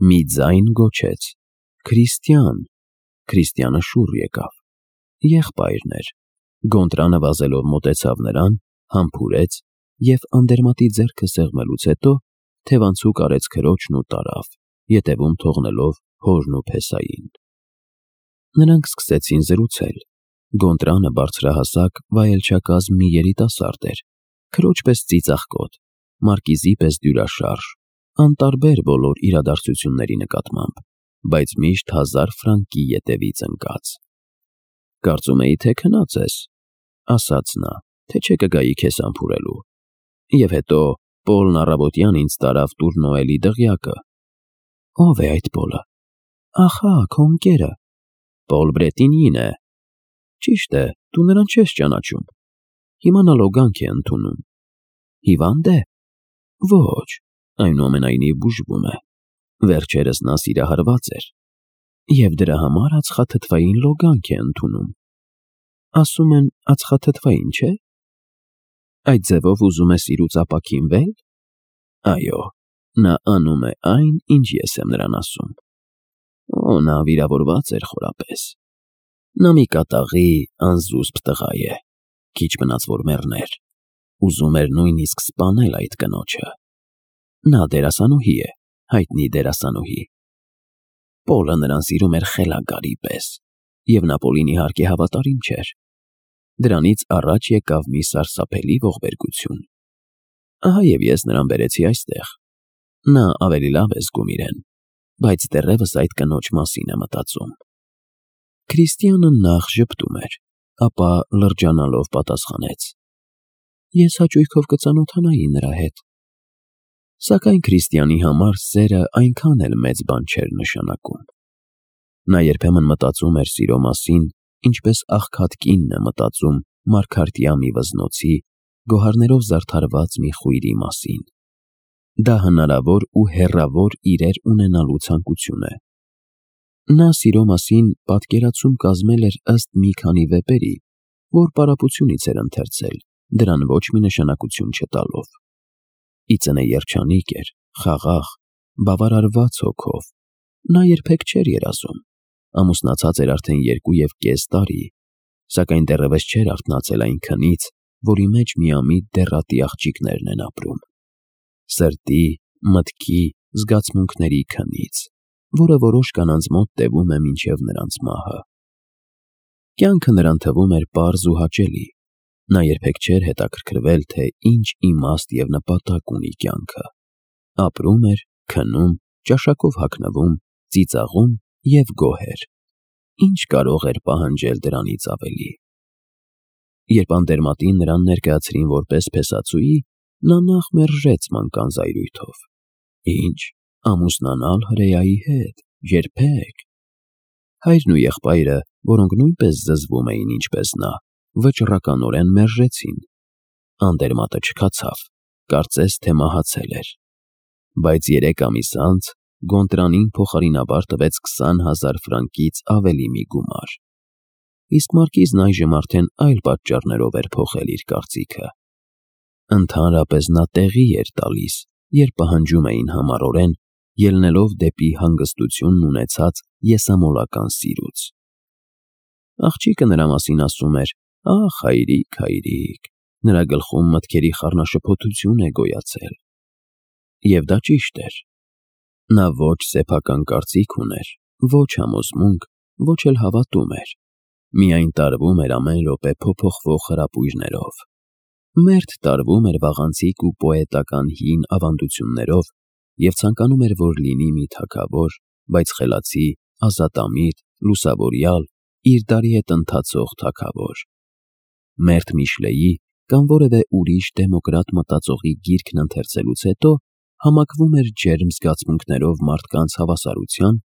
Մի ձայն գոչեց. «Քրիստիան»։ Քրիստիանը շուռ եկավ։ Եղբայրն էր։ Գոնտրանը վազելով մոտեցավ նրան, համբուրեց և անդերմատի ձեռքը սեղմելուց հետո թևանցուկ արեց քրոջն ու տարավ, ետևում թողնելով հորն ու փեսային։ Նրանք սկսեցին զրուցել։ Գոնտրանը բարձրահասակ, վայելչակազմ մի երիտասարդ էր, քրոջ պես ծիծաղկոտ, մարկիզի պես դյուրաշարժ, անտարբեր բոլոր իրադարձությունների նկատմամբ, բայց միշտ 1000 ֆրանկի ետևից ընկած։ «Կարծում էի, թե քնած ես», ասաց նա, «թե չէ կգայի քեզ համբուրելու։ Եվ հետո Պոլն առավոտյան ինձ տարավ Տուր դղյակը»։ «Ո՞վ է այդ Պոլը»։ «Ախա, քո ընկերը»։ «Պոլ Բրետինին է»։ «Ճիշտ է, դու նրան չես ճանաչում։ Հիմա նա լոգանք է ընդունում»։ «Հիվա՞նդ է»։ «Ոչ, այնուամենայնիվ բուժվում է։ Վերջերս նա սիրահարված էր և դրա համար ածխաթթվային լոգանք է ընդունում»։ «Ասում են ածխաթթվային, չէ՞։ Այդ ձևով ուզում է սիրուց ապաքինվե՞լ»։ «Այո, նա անում է այն, ինչ ես եմ նրան ասում»։ Նա վիրավորված էր խորապես։ Նա մի կատաղի անզուսպ տղա է, քիչ մնաց որ մեռներ։ Ուզում էր նույնիսկ սպանել այդ կնոջը։ Նա դերասանուհի է, հայտնի դերասանուհի։ Պոլը նրան սիրում էր խելագարի պես, և նա Պոլին իհարկե հավատարիմ չէր։ Դրանից առաջ եկավ մի սարսափելի ողբերգություն։ Ահա և ես նրան բերեցի այստեղ։ Նա ավելի լավ է զգում իրեն, բայց դեռևս այդ կնոջ մասին է մտածում։ Քրիստիանը նախ ժպտում էր, ապա լրջանալով պատասխանեց. «Ես հաճույքով կծանոթանայի նրա հետ»։ Սակայն Քրիստիանի համար սերը այնքան էլ մեծ բան չէր նշանակում։ Նա երբեմն մտածում էր սիրո մասին, ինչպես աղքատ կինն է մտածում մարգարտյա մի վզնոցի, գոհարներով զարդարված մի խույրի մասին։ Դա հնարավոր ու հեռավոր իրեր ունենալու ցանկություն է։ Նա սիրո մասին պատկերացում կազմել էր ըստ մի քանի վեպերի, որ պարապությունից էր ընթերցել, դրան ոչ մի նշանակություն չտալով։ Ի ծնե երջանիկ էր, խաղաղ, բավարարված հոգով։ Նա երբեք չէր երազում։ Ամուսնացած էր արդեն 2.5 տարի, սակայն դեռևս չէր արթնացել այն քնից, որի մեջ միամիտ դեռատի աղջիկներն են ապրում։ Սրտի, մտքի, զգացմունքների քնից, որը որոշ կանանց մոտ տևում է մինչև նրանց մահը։ Կյանքը նրան թվում էր պարզ ու հաճելի։ Նա երբեք չէր հետաքրքրվել, թե ինչ իմաստ և նպատակ ունի կյանքը։ Ապրում էր, քնում, ճաշակով հագնվում, ծիծաղում և գոհ էր։ Ինչ կարող էր պահանջել դրանից ավելի։ Երբ անդերմատին նրան ներկայացրին որպես փեսացուի, նա նախ մերժեց մանկան զայրույթով։ Ինչ, ամուսնանալ հրեայի հետ, երբեք։ Հայրն ու եղբայրը, որոնք նույնպես զզվում էին ինչպես նա, վճռականորեն մերժեցին։ Անդերմատը չքացավ, կարծես թե մահացել էր։ Բայց 3 ամիս անց Գոնտրանին փոխարինաբար տվեց 20,000 ֆրանկից ավելի մի գումար։ Իսկ մարկիզն այժմ արդեն այլ պատճառներով էր փոխել իր կարծիքը։ Ընդհանրապես նա տեղի էր տալիս, երբ պահանջում էին համառորեն, ելնելով դեպի հանգստությունն ունեցած եսամոլական սիրուց։ Աղջիկը նրա մասին ասում էր. «Ախ, հայրիկ, հայրիկ», նրա գլխում մտքերի խառնաշփոթություն է գոյացել։ Եվ դա ճիշտ էր։ Նա ոչ սեփական կարծիք ուներ, ոչ համոզմունք, ոչ էլ հավատում էր։ Միայն տարվում էր ամեն րոպե փոփոխվող հրապույրներով։ Մերթ տարվում էր վաղանցիկ ու պոետական հին ավանդություններով և ցանկանում էր, որ լինի մի թագավոր, բայց խելացի, ազատամիտ, լուսավորյալ, իր դարի հետ ընթացող թագավոր։ Մերթ Միշլեի կամ որևէ ուրիշ դեմոկրատ մտածողի գիրքն ընթերցելուց հետո համակվում էր ջերմ զգացմունքներով մարդկանց հավասարության,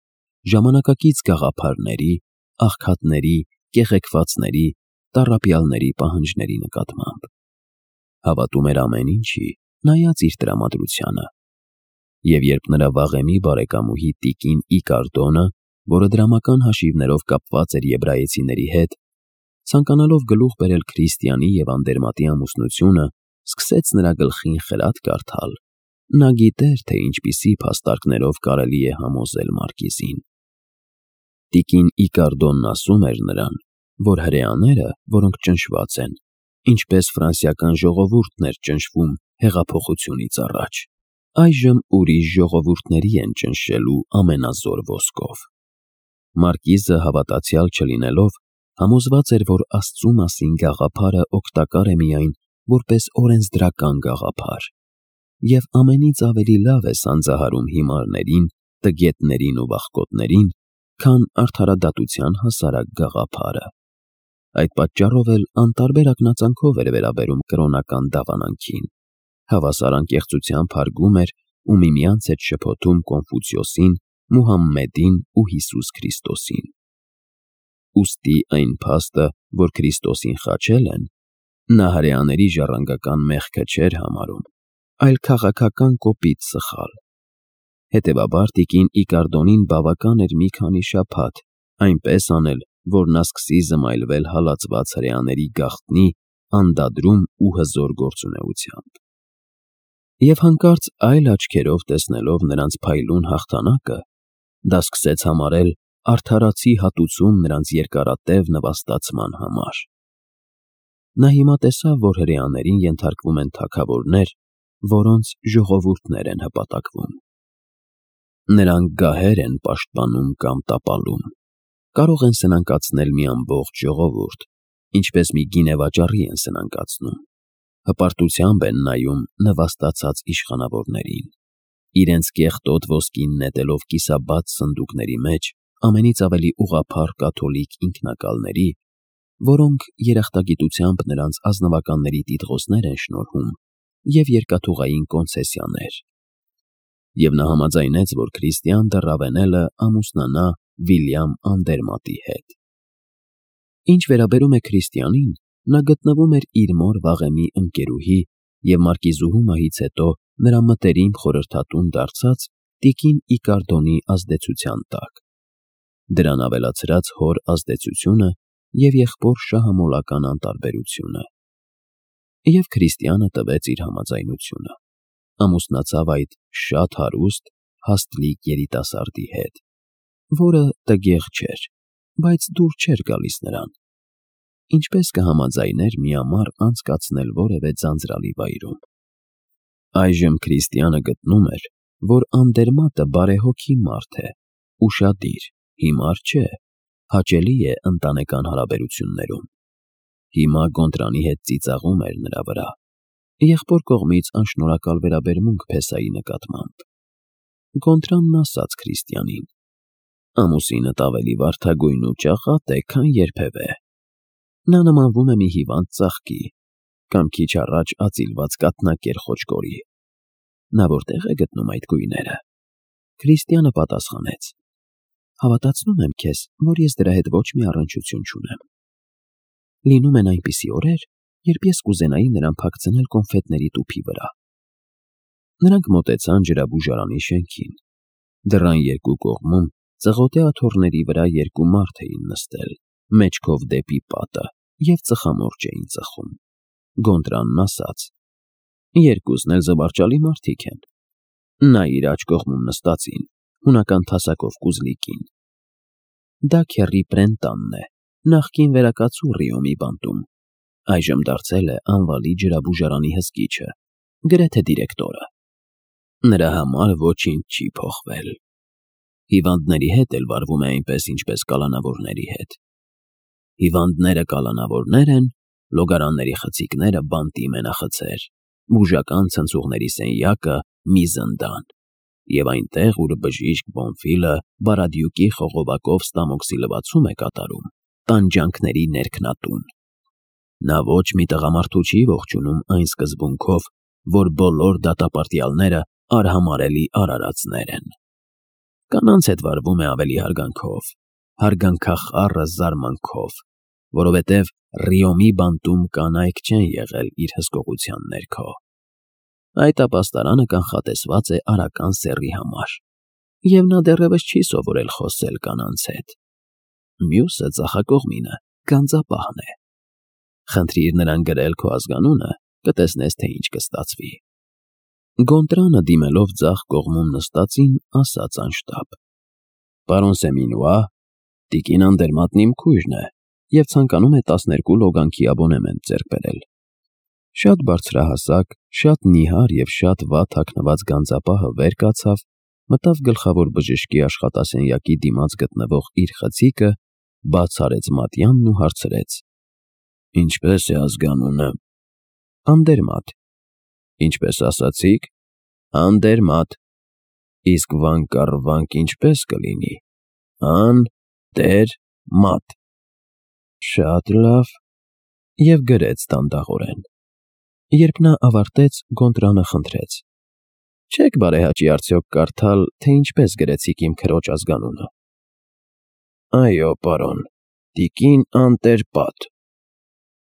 ժամանակակից գաղափարների, աղքատների, կեղեքվածների, տառապյալների պահանջների նկատմամբ։ Հավատում էր ամեն ինչի, նայած իր տրամադրությանը։ Եվ երբ նրա վաղեմի բարեկամուհի տիկին Իկարդոնը, որը դրամական հաշիվներով կապված էր եբրայեցիների հետ, ցանկանալով գլուխ բերել Քրիստիանի և անդերմատի ամուսնությունը, սկսեց նրա գլխին խելաթ կարդալ, Նա գիտեր, թե ինչպիսի փաստարկներով կարելի է համոզել մարկիզին։ Տիկին Իկարդոնն ասում էր նրան, որ հրեաները, որոնք ճնշված են, ինչպես ֆրանսիական ժողովուրդն էր ճնշվում հեղափոխությունից առաջ, այժմ ուրիշ ժողովուրդների են ճնշելու ամենազոր ոսկով։ Մարկիզը հավատացյալ չլինելով, համոզված էր, որ Աստծու մասին գաղափարը օգտակար է միայն որպես օրենսդրական գաղափար, և ամենից ավելի լավ է սանձահարում հիմարներին, տգետներին ու վախկոտներին, քան արդարադատության հասարակ գաղափարը։ Այդ պատճառով էլ անտարբեր ակնածանքով էր վերաբերում կրոնական դավանանքին, հավասար անկեղծությամբ հարգում էր ու միմյանց հետ շփոթում Կոնֆուցիոսին, Մուհամմեդին ու Հիսուս Քրիստոսին։ Ուստի այն փաստը, որ Քրիստոսին խաչել են, նա հրեաների ժառանգական մեղքը չէր համարում, այլ քաղաքական կոպիտ սխալ։ Հետևաբար տիկին Իկարդոնին բավական էր մի քանի շաբաթ այնպես անել, որ նա սկսի զմայլվել հալածված հրեաների գաղտնի, անդադրում ու հզոր գործունեությամբ։ Եվ հանկարծ այլ աչքերով տեսնելով նրանց փայլուն հաղթանակը, դա սկսեց համարել արդարացի հատուցում նրանց երկարատև նվաստացման համար։ Նա հիմա տեսավ, որ հրեաներին ենթարկվում են թագավորներ, որոնց ժողովուրդներ են հպատակվում։ Նրանք գահեր են պաշտպանում կամ տապալում, կարող են սնանկացնել մի ամբողջ ժողովուրդ, ինչպես մի գինեվաճառի են սնանկացնում, հպարտությամբ են նայում նվաստացած իշխանավորներին, իրենց կեղտոտ ոսկին նետելով կիսաբաց սնդուկների մեջ ամենից ավելի ուղղափառ կաթոլիկ ինքնակալների, որոնք երախտագիտությամբ նրանց ազնվականների տիտղոսներ են շնորհում և երկաթուղային կոնցեսիաներ։ Եվ նա համաձայնեց, որ Քրիստիան դեռ Ռավենելը ամուսնանա Վիլյամ Անդերմատի հետ։ Ինչ վերաբերում է Քրիստիանին, նա գտնվում էր իր մոր վաղեմի ընկերուհի և մարկիզուհու մահից հետո նրա մտերիմ խորհրդատուն դարձած տիկին Իկարդոնի ազդեցության տակ։ Դրան ավելացրած հոր ազդեցությունը և եղբոր շահամոլական անտարբերությունը։ Եվ Քրիստիանը տվեց իր համաձայնությունը, ամուսնացավ այդ շատ հարուստ, հաստլիկ երիտասարդի հետ, որը տգեղ չէր, բայց դուր չէր գալիս նրան։ Ինչպես կհամաձայներ միամառ անցկացնել որևէ ձանձրալի վայրում։ Այժմ Քրիստիանը գտնում էր, որ Անդերմատը բարեհոգի մարդ է, ուշադիր, հիմար չէ, հաճելի է ընտանեկան հարաբերություններում։ Հիմա Գոնտրանի հետ ծիծաղում էր նրա վրա, եղբոր կողմից անշնորհակալ վերաբերմունք Փեսայի նկատմամբ։ Գոնտրանն ասաց Քրիստիանին. ամուսինդ ավելի վարդագույն ու ճաղատ է, քան երբևէ։ Նա նմանվում է մի հիվանդ ծաղկի, կամ քիչ առաջ ածիլված կաթնակեր խոճկորի։ Նա որտեղ է գտնում այդ գույները։ Քրիստիանը պատասխանեց. հավատացնում եմ քեզ, որ ես դրա հետ ոչ մի առնչություն չունեմ։ Լինում են այնպիսի օրեր, երբ ես կուզենայի նրան փակցնել կոնֆետների տուփի վրա։ Նրանք մոտեցան ջրաբուժարանի շենքին։ Դռան երկու կողմում ծղոտե աթոռների վրա երկու մարդ էին նստել, մեջքով դեպի պատը, և ծխամորճ էին ծխում։ Գոնտրանն ասաց. երկուսն էլ զվարճալի մարդիկ են։ Նա իր աջ կողմում նստածին, հունական թասակով կուզլիկին։ Դա քեռի Պրենտանն է, նախկին վերակացու Ռիոմի բանտում, այժմ դարձել է անվալի ջրաբուժարանի հսկիչը, գրեթե դիրեկտորը։ Նրա համար ոչինչ չի փոխվել։ Հիվանդների հետ էլ վարվում է այնպես, ինչպես կալանավորների հետ։ Հիվանդները կալանավորներ են, լոգարանների խցիկները բանտի մենախցեր, բուժական ցնցուղների սենյակը մի զնդան, և այնտեղ, ուր բժիշկ Բոնֆիլը Բարադյուկի խողովակով ստամոքսի լվացում է կատարում, տանջանքների ներքնատուն։ Նա ոչ մի տղամարդու չի ողջունում այն սկզբունքով, որ բոլոր դատապարտյալները արհամարհելի արարածներ են։ Կանանց հետ վարվում է ավելի հարգանքով, հարգանքախառը զարմանքով, որովհետև Ռիոմի բանտում կանայք չեն եղել իր հսկողության ներքո։ Այդ ապաստարանը կանխատեսված է արական սեռի համար, և նա դեռևս չի սովորել խոսել կանանց հետ։ Մյուսը ծախակողմինը գանձապահն է։ Խնդրիր նրան գրել քո ազգանունը, կտեսնես, թե ինչ կստացվի։ Գոնտրանը դիմելով ձախ կողմում նստածին, ասաց անշտապ. «Պարոն Սեմինուա, տիկին Անդերմատն իմ քույրն է և ցանկանում է 12 լոգանքի աբոնեմենտ ձեռք բերել»։ Շատ բարձրահասակ, շատ նիհար և շատ վատ հագնված գանձապահը վեր կացավ, մտավ գլխավոր բժշկի աշխատասենյակի դիմաց գտնվող իր խցիկը, բաց արեց մատյանն ու հարցրեց. «Ինչպե՞ս է ազգանունը»։ «Անդերմատ»։ «Ինչպես ասացիք»։ «Անդերմատ»։ «Իսկ վանկառվանք ինչպե՞ս կլինի»։ «Ան֊դեր֊մատ»։ «Շատ լավ», և գրեց դանդաղորեն։ Երբ նա ավարտեց, Գոնտրանը խնդրեց. «Չե՞ք բարեհաճի արդյոք կարդալ, թե ինչպես գրեցիք իմ քրոջ ազգանունը»։ «Այո, պարոն, տիկին Անտեր֊պատ»։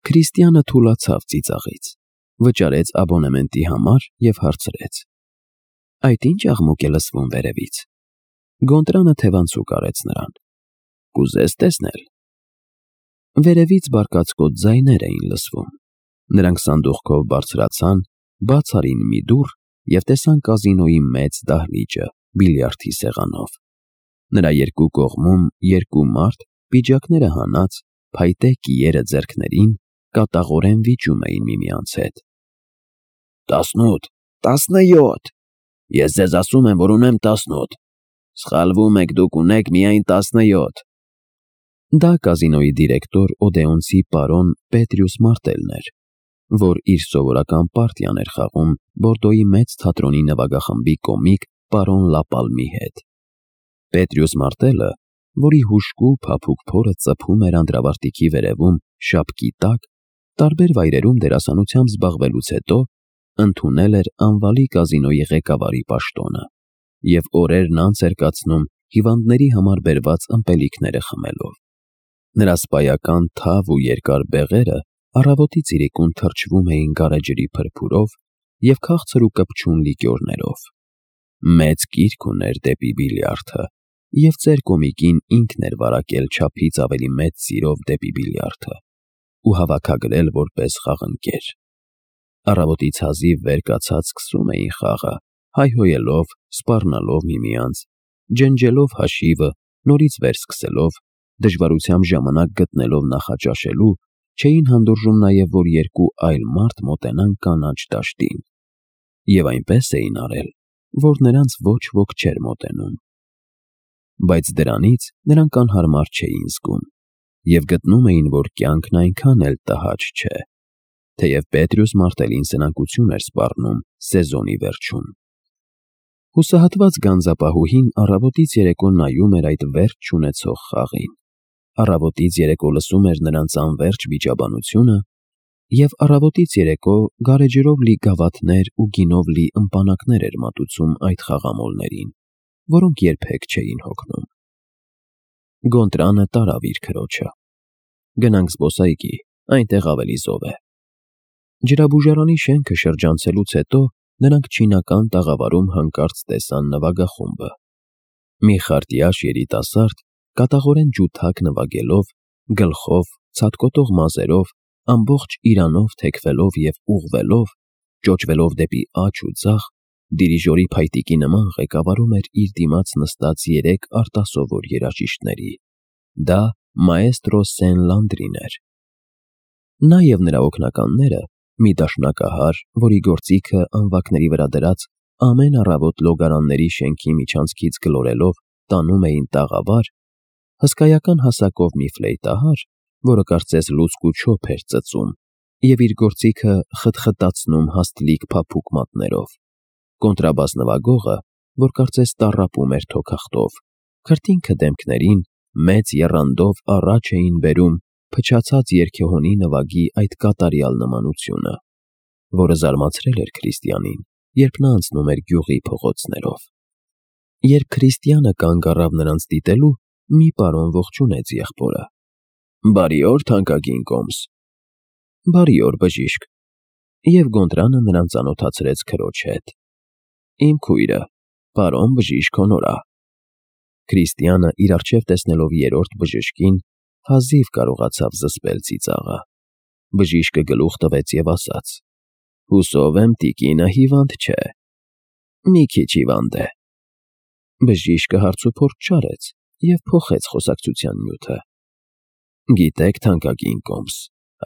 Քրիստիանը թուլացավ ծիծաղից, վճարեց աբոնեմենտի համար և հարցրեց. «Այդ ի՞նչ աղմուկ է լսվում վերևից»։ Գոնտրանը թևանցուկ արեց նրան. «Կուզես տեսնել»։ Վերևից բարկացկոտ ձայներ էին լսվում։ Նրանք սանդուղքով բարձրացան, բաց արին մի դուռ և տեսան կազինոյի մեծ դահլիճը բիլիարդի սեղանով։ Նրա երկու կողմում երկու մարդ, պիջակները հանած, փայտե կիերը ձեռքներին, կատաղորեն վիճում էին միմյանց հետ։ 18, 17, ես ձեզ ասում եմ, որ ունեմ 18, սխալվում եք, դուք ունեք միայն 17։ Դա կազինոյի դիրեկտոր Օդեոնցի պարոն Պետրիուս Մարտելն էր, որ իր սովորական պարտիան էր խաղում Բորդոյի մեծ թատրոնի նվագախմբի կոմիկ պարոն Լապալմի հետ։ Պետրիուս Մարտելը, որի հուժկու փափուկ փորը ծփում էր անդրավարտիքի վերևում շապկի տակ, տարբեր վայրերում դերասանությամբ զբաղվելուց հետո ընդունել էր անվալի կազինոյի ղեկավարի պաշտոնը և օրերն անց էր կացնում հիվանդների համար բերված ըմպելիքները խմելով։ Նրա սպայական թավ ու երկար բեղերը առավոտից իրիկուն թրջվում էին գարեջրի փրփուրով և քաղցր ու կպչուն լիկյորներով։ Մեծ կիրք ուներ դեպի բիլիարդը, և ծեր կոմիկին ինքն էր վարակել չափից ավելի մեծ սիրով դեպի բիլիարդը ու հավաքագրել որպես խաղընկեր։ Առավոտից հազիվ վեր կացած սկսում էին խաղը, հայհոյելով, սպառնալով միմյանց, ջնջելով հաշիվը, նորից վերսկսելով, դժվարությամբ ժամանակ գտնելով նախաճաշելու, չէին հանդուրժում նաև, որ երկու այլ մարդ մոտենան կանաչ դաշտին։ Եվ այնպես էին արել, որ նրանց ոչ ոք չէր մոտենում։ Բայց դրանից նրանք անհարմար չէին զգում և գտնում էին, որ կյանքն այնքան էլ տհաճ չէ, թեև Պետրիուս Մարտելին սնանկություն էր սպառնում սեզոնի վերջում։ Հուսահատված գանձապահուհին առավոտից երեկո նայում էր այդ վերջ չունեցող խաղին, առավոտից երեկո լսում էր նրանց անվերջ վիճաբանությունը և առավոտից երեկո գարեջրով լի գավաթներ ու գինով լի ըմպանակներ էր մատուցում այդ խաղամոլներին, որոնք երբեք չէին հոգնում։ Գոնտրանը տարավ իր քրոջը. «Գնանք զբոսայգի, այնտեղ ավելի զով է»։ Ջրաբուժարանի շենքը շրջանցելուց հետո նրանք չինական տաղավարում հանկարծ տեսան նվագախումբը։ Մի խարտյաշ երիտասարդ, կատաղորեն ջութակ նվագելով, գլխով, ցատկոտող մազերով, ամբողջ իրանով թեքվելով և ուղղվելով, ճոճվելով դեպի աջ ու ձախ, դիրիժորի փայտիկի նման ղեկավարում էր իր դիմաց նստած երեք արտասովոր երաժիշտների։ Դա մաեստրո Սեն֊Լանդրին էր։ Նա և նրա օգնականները, մի դաշնակահար, որի գործիքը անվակների վրա դրած ամեն առավոտ լոգարանների շենքի միջանցքից գլորելով տանում էին տաղավար, հսկայական հասակով մի ֆլեյտահար, որը կարծես լուցկու չոփ էր ծծում և իր գործիքը խտխտացնում հաստլիկ փափուկ մատներով, կոնտրաբաս նվագողը, որ կարծես տառապում էր թոքախտով, քրտինքը դեմքներին, մեծ եռանդով առաջ էին բերում փչացած երգեհոնի նվագի այդ կատարյալ նմանությունը, որը զարմացրել էր Քրիստիանին, երբ նա անցնում էր գյուղի փողոցներով։ Երբ Քրիստիանը կանգ առավ նրանց դիտելու, մի պարոն ողջունեց եղբորը. «Բարի օր, թանկագին կոմս»։ «Բարի օր, բժիշկ»։ Եվ Գոնտրանը նրան ծանոթացրեց քրոջ հետ։ «Իմ քույրը, պարոն բժիշկ Հոնորա»։ Քրիստիանը իր առջև տեսնելով երրորդ բժշկին, հազիվ կարողացավ զսպել ծիծաղը։ Բժիշկը գլուխ տվեց և ասաց. «Հուսով եմ, տիկինը հիվանդ չէ»։ Մի քիչ հիվանդ է։ Բժիշկը հարցուփորձ չարեց և փոխեց խոսակցության նյութը։ Գիտեք, թանկագին կոմս,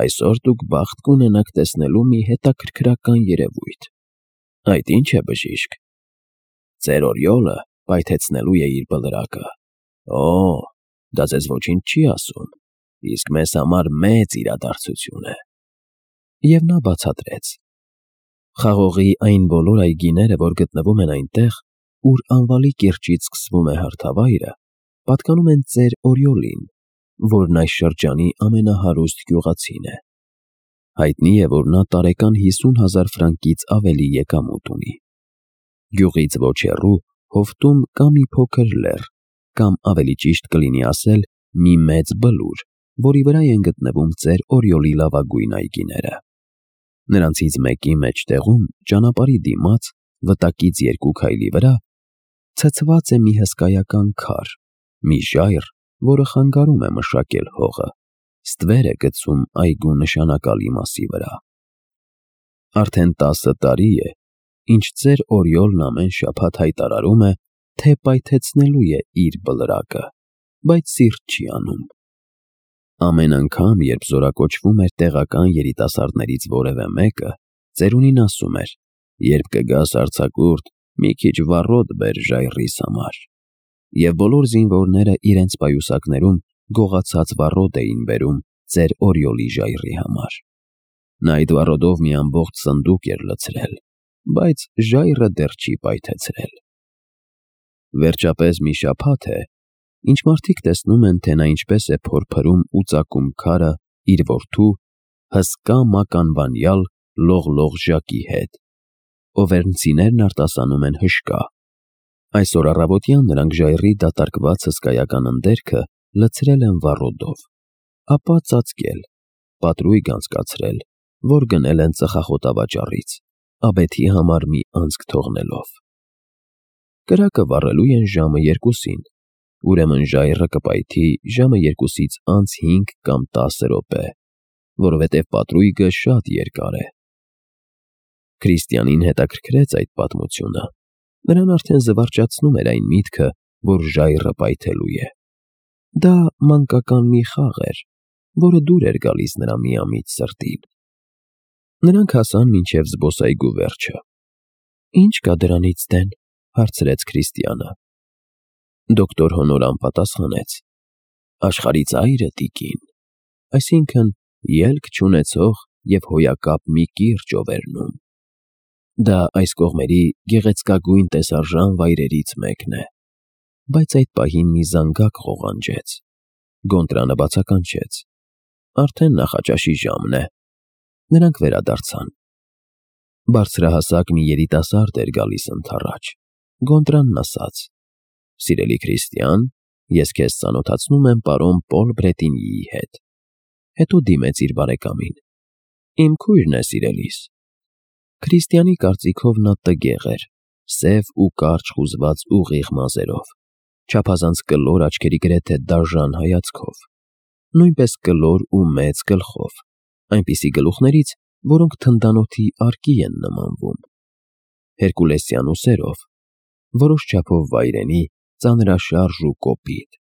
այսօր դուք բախտ կունենաք տեսնելու մի հետաքրքրական երևույթ։ Այդ ի՞նչ է, բժիշկ։ Ձեր օրիոլը պայթեցնելու է իր բլրակը։ Օ, դա ձեզ ոչինչ չի ասում, իսկ մեզ համար մեծ իրադարձություն է։ Եվ նա բացատրեց. Խաղողի այն բոլոր այգիները, որ գտնվում են այնտեղ, ուր անվալի կիրճից սկսվում է հարթավայրը, պատկանում են ծեր օրիոլին, որն այս շրջանի ամենահարուստ գյուղացին է։ Հայտնի է, որ նա տարեկան 50,000 ֆրանկից ավելի եկամուտ ունի։ Գյուղից ոչ հեռու հովտում կա մի փոքր լեռ, կամ ավելի ճիշտ կլինի ասել մի մեծ բլուր, որի վրա են գտնվում ծեր օրիոլի լավագույն այգիները։ Նրանցից մեկի մեջտեղում, ճանապարհի դիմաց, վտակից 2 քայլի վրա, ցցված է մի հսկայական քար, մի ժայռ, որը խանգարում է մշակել հողը, ստվեր է գցում այգու նշանակալի մասի վրա։ Արդեն 10 տարի է, ինչ ծեր օրիոլն ամեն շաբաթ հայտարարում է, թե պայթեցնելու է իր բլրակը, բայց սիրտ չի անում։ Ամեն անգամ, երբ զորակոչվում էր տեղական երիտասարդներից որևէ մեկը, ծերունին ասում էր. երբ կգաս արձակուրդ, մի քիչ վառոդ բեր ժայռիս համար։ Եվ բոլոր զինվորները իրենց պայուսակներում գողացած վառոդ էին բերում ծեր օրիոլի ժայռի համար։ Նա այդ վառոդով մի ամբողջ սնդուկ էր լցրել, բայց ժայռը դեռ չի պայթեցրել։ Վերջապես մի շաբաթ է, ինչ մարդիկ տեսնում են, թե նա ինչպես է փորփրում ու ծակում քարը իր որդու հսկա մականվանյալ լողլող ժակի հետ։ Օվերնցիներն արտասանում են հշկա։ Այսօր առավոտյան նրանք ժայռի դատարկված հսկայական ընդերքը լցրել են վառոդով, ապա ծածկել, պատրույգ անցկացրել, որ գնել են ծխախոտավաճառից, աբեթի համար մի անցք թողնելով։ Կրակը վառելու են ժամը 2-ին, ուրեմն ժայռը կպայթի ժամը 2-ից անց 5 կամ 10 րոպե, որովհետև պատրույգը շատ երկար է։ Քրիստիանին հետաքրքրեց այդ պատմությունը։ Նրան արդեն զվարճացնում էր այն միտքը, որ ժայռը պայթելու է։ Դա մանկական մի խաղ էր, որը դուր էր գալիս նրա միամիտ սրտին։ Նրանք հասան մինչև զբոսայգու վերջը։ Ինչ կա դրանից դեն, հարցրեց Քրիստիանը։ Դոկտոր Հոնորան պատասխանեց. Աշխարհի ծայրը, տիկին, այսինքն ելք չունեցող և հոյակապ մի կիրճ Օվերնում։ Դա այս կողմերի գեղեցկագույն տեսարժան վայրերից մեկն է։ Բայց այդ պահին մի զանգակ ղողանջեց։ Գոնտրանը բացականչեց. Արդեն նախաճաշի ժամն է։ Նրանք վերադարձան։ Բարձրահասակ մի երիտասարդ էր գալիս ընդառաջ։ Գոնտրանն ասաց. Սիրելի Քրիստիան, ես քեզ ծանոթացնում եմ պարոն Պոլ Բրետինյիի հետ։ Հետո դիմեց իր բարեկամին. Իմ քույրն է, սիրելիս։ Քրիստիանի կարծիքով նա տգեղ էր, սև ու կարճ խուզված ուղիղ մազերով, չափազանց կլոր աչքերի գրեթե դաժան հայացքով, նույնպես կլոր ու մեծ գլխով, այնպիսի գլուխներից, որոնք թնդանոթի արկի են նմանվում, հերկուլեսյան ուսերով, որոշ չափով վայրենի, ծանրաշարժ ու կոպիտ,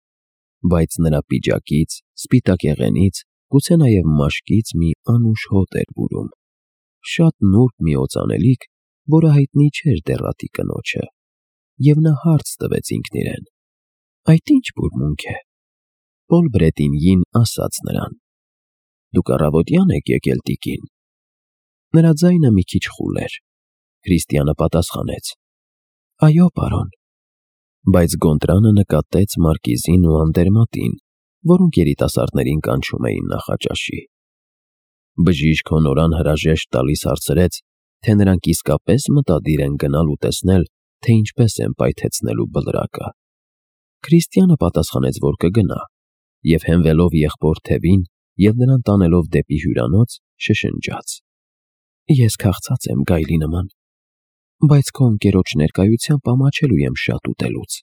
բայց նրա պիջակից, սպիտակ եղենից, գուցե նաև մաշկից մի անուշ հոտ էր բուրում, շատ նուրբ մի օծանելիք, որը հայտնի չէր դեռատի կնոջը, և նա հարց տվեց ինքն իրեն. Այդ ի՞նչ բուրմունք է։ Պոլ Բրետինյին ասաց նրան. Դուք առավոտյան եք եկել, տիկին։ Նրա ձայնը մի քիչ խուլ էր։ Քրիստիանը պատասխանեց. Այո, պարոն։ Բայց Գոնտրանը նկատեց մարկիզին ու անդերմատին, որոնք երիտասարդներին կանչում էին նախաճաշի։ Բժիշկ Հոնորան հրաժեշտ տալիս հարցրեց, թե նրանք իսկապես մտադիր են գնալ ու տեսնել, թե ինչպես են պայթեցնելու բլրակը։ Քրիստիանը պատասխանեց, որ կգնա, և հենվելով եղբոր թևին և նրան տանելով դեպի հյուրանոց, շշնջաց. Ես քաղցած եմ գայլի նման, բայց քո ընկերոջ ներկայությամբ ամաչելու եմ շատ ուտելուց։